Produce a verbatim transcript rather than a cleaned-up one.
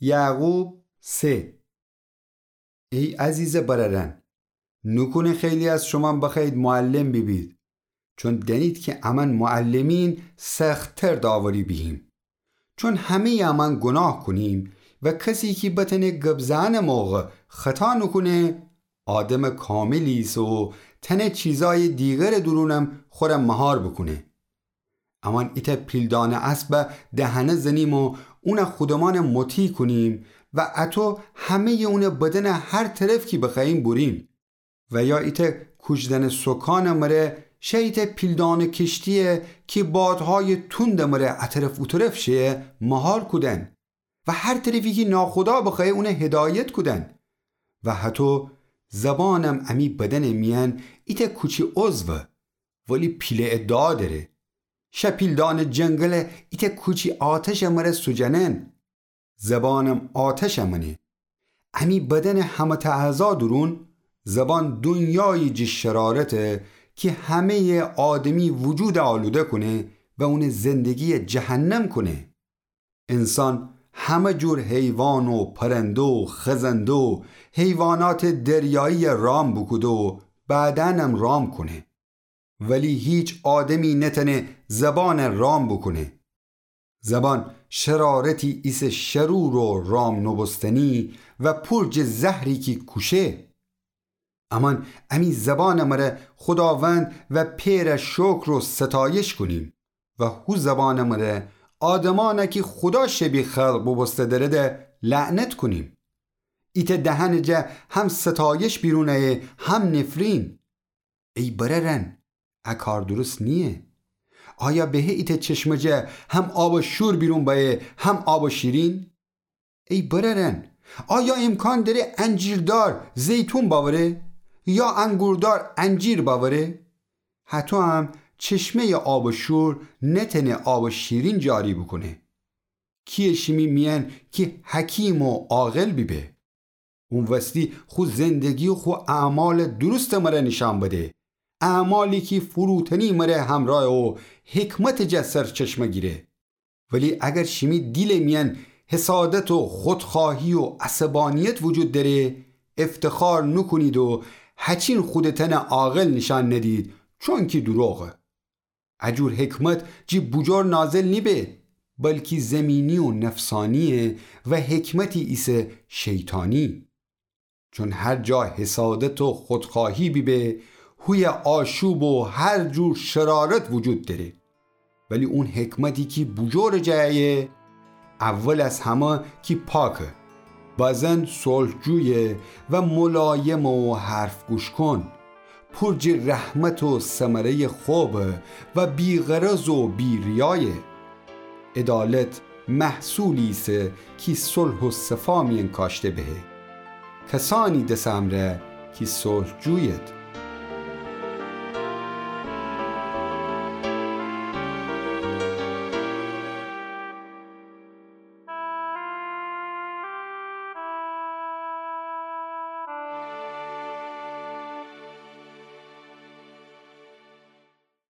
یعقوب سه. ای عزیزٚ برأرأن، نوکونه خیلی از شومأن بخوأیید معلم بیبید، چون دأنید کی امأن معلمین سخت‌تر داوری بیهیم. چون همه‌یٚ امأن گوناه کونیم و کسی کی بتأنه گب زئنٚ موقع خطا نوکونه، آدمٚ کاملی ایسه و تأنه چیزأیٚ دیگرٚ دورونم خوره مهار بوکونه. امأن ایتأ پیلدانه اسبَ دهنه زنیم و اونَ خودمأنٚ مطیع کونیم و اطو همه‌یٚ اونٚ بدنٚ هر طرف کی بخوأییم بوریم. و یا ایتأ کوجدنٚ سوکانٚ مره شه ایتأ پیلدانه کشتی‌یی کی بادهایٚ توندٚ مره ا طرف او طرف شه مهار کودن و هر طرفی کی ناخدا بخوأیه اونَ هدایت کودن. و هطو زبانم امی بدنٚ میأن ایتأ کوچی عضوه، ولی پیله ادعا دره. شه پیلدانه جنگلٚ ایتأ کوچی آتشٚ مره سوجنن. زبانم آتشٚ مأنه. امی بدنٚ همه‌تأ اعضا دورون، زبان دونیایی جٚه شرارته کی همه‌یٚ آدمی وجودَ آلوده کونه و اونٚ زندگی‌یَ جهنم کونه. انسان همه جور حیوان و پرنده و خزنده و حیواناتٚ دریایی‌یَ رام بوکوده و بعدأنم رام کونه. ولی هیچ آدمی نتأنه زبانَ رام بوکونه. زبان شرارتی ایسه شرور و رام نوبوستنی و پور جٚه زهری کی کوشه. امأن امی زبانٚ مره خوداوند و پئرَ شکر و ستایش کونیم و هو زبانٚ مره آدمأنَ کی خودا شبیه خلق بوبوسته دره ده لعنت کونیم. ایتأ دهنٚ جا هم ستایش بیرون ایه هم نفرین. ای برأرأن، ا کار درست نییه. آیا بهه ایتأ چشمه جا هم آبٚ شور بیرون بأیه هم آبٚ شیرین؟ ای برأرأن، آیا امکان دره انجیردار زیتون بأوره یا انگوردار انجیر بأوره؟ هطو هم چشمه‌یٚ آبٚ شور نتأنه آبٚ شیرین جاری بوکونه. کییه شیمی میأن کی حکیم و عاقل بیبه؟ اون وستی خو زندگی و خو اعمالٚ درستٚ مره نیشأن بده، اعمالی کی فروتنی مره همرأیه و حکمتٚ جا سرچشمه گیره. ولی اگر شیمی دیلٚ میأن حسادت و خودخواهی و عصبانیت وجود دأره، افتخار نوکونید و هچین خودٚ تأنَ عاقل نیشأن ندید، چونکی دوروغه. ا جور حکمت جٚه بوجور نازل نیبه، بلکی زمینی و نفسانییه و حکمتی ایسه شیطانی. چون هر جا حسادت و خودخواهی بیبه، هویه آشوب و هر جور شرارت وجود دره. ولی اون حکمتی کی بوجورٚ جا ایه، اول از همه کی پاکه، بازن صلح‌جویه و ملایمه و حرف گوش کن، پور جٚه رحمت و ثمره‌یٚ خوبه و بی‌غرض و بی‌ریایه. عدالت محصولی ایسه کی صلح و صفا میأن کاشته بهه. کسأنی دس امرأ کی صلح‌جویید.